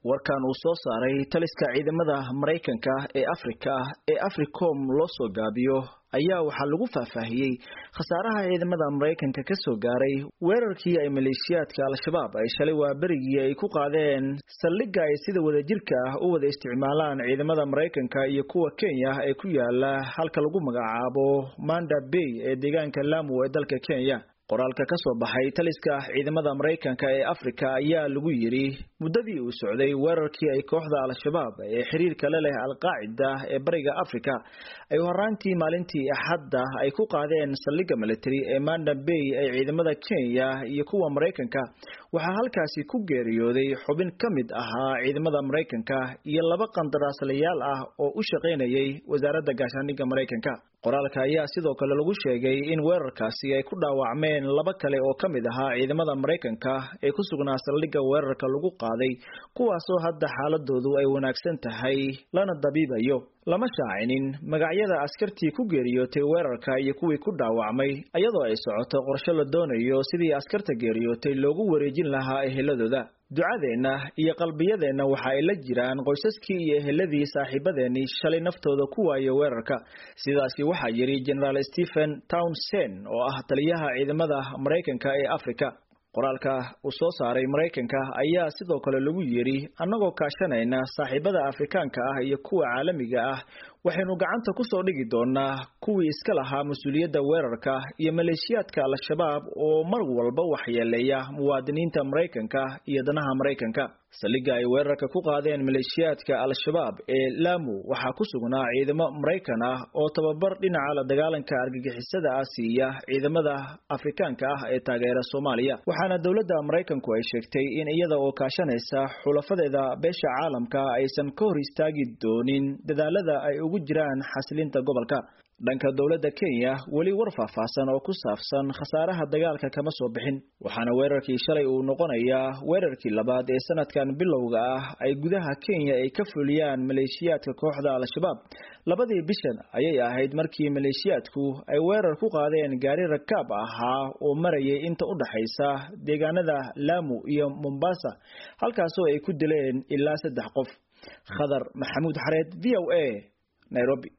Warkan uu soo saaray taliska ciidamada Maraykanka ee Afrika ee Africom loo soo gaabiyo ayaa waxaa lagu faahfaahiyey khasaaraha ciidamada Maraykanka ka soo gaaray weerarkii ay maleeshiyaadka Al-Shabaab ay shalay waaberigii ay ku qaadeen saldhigga ay sida wadajirka ah u wada isticmaalaan ciidamada Maraykanka iyo kuwa Kenya ee ku yaala halka lagu magacaabo Manda Bay ee deegaanka Lamu ee dalka Kenya. Qoraalka ka soo baxay taliska ciidamada Maraykanka ee Afrika ayaa lagu yiri muddadii uu socday weerarkii ay kooxda Al-Shabaab ee xiriirka la leh Al-Qaacida ee Bariga Afrika ay horaantii maalintii Axadda ay ku qaadeen saldhigga military ee Manda Bay ee ciidamada Kenya iyo kuwa Maraykanka, waxaa halkaasi ku geeriyooday xubin ka mid ahaa ciidamada Maraykanka iyo laba qandaraaslayaal ah oo u shaqaynayay wasaaradda gaashaandhigga Maraykanka. Qoraalka ayaa sidoo kale lagu sheegay in weerarkaasi ay ku dhaawacmeen laba kale oo ka mid ahaa ciidamada Maraykanka ee ku sugnaa saldhigga weerarka lagu qaaday, kuwaasoo hadda xaaladoodu ay wanaagsan tahay lana dabiibayo. Lama shaacinin magacyada askartii ku geeriyootay weerarka iyo kuwii ku dhaawacmay, iyadoo ay socoto qorshe la doonayo sidii askarta geeriyootay loogu wareejin lahaa eheladooda. Ducadeenna iyo qalbiyadeenna waxa ay la jiraan qoysaskii iyo eheladii saaxiibadeennii shalay naftooda ku waayay weerarka. Sidaasi waxaa yidhi Generaal Stephen Townsend oo ah taliyaha ciidamada Maraykanka ee Afrika. Qoraalka uu soo saaray Maraykanka ayaa sidoo kale lagu yidhi, annagoo kaashanayna saaxiibada Afrikaanka ah iyo kuwa caalamiga ah, waxaynu gacanta ku soo dhigi doonaa kuwii iska lahaa mas-uuliyadda weerarka iyo maleeshiyaadka Al-Shabaab oo mar walba waxyeeleeya muwaadiniinta Maraykanka iyo danaha Maraykanka. Saldhigga ay weerarka ku qaadeen maleeshiyaadka Al-Shabaab ee Lamu waxaa ku sugnaa ciidamo Maraykan ah oo tababar dhinaca la dagaalanka argagixisada ah siiya ciidamada Afrikaanka ah ee taageera Soomaaliya. Waxaana dowladda Maraykanku ay sheegtay in iyada oo kaashanaysa xulafadeeda beesha caalamka aysan ka hor istaagi doonin dadaalada ay ugu jiraan xasilinta gobolka. Dhanka dowladda Kenya weli war faahfaahsan oo ku saabsan khasaaraha dagaalka kama soo bixin, waxaana weerarkii shalay uu noqonayaa weerarkii labaad ee sanadkan bilowga ah ay gudaha Kenya ay ka fuliyaan maleeshiyaadka kooxda Al-Shabaab. Labadii bishan ayay ahayd markii maleeshiyaadku ay weerar ku qaadeen gaari rakaab ahaa oo marayay inta u dhaxaysa deegaanada Lamu iyo Mombasa, halkaasoo ay ku dileen ilaa 3 qof. Khadar Maxamuud Xareed, VOA, Nairobi.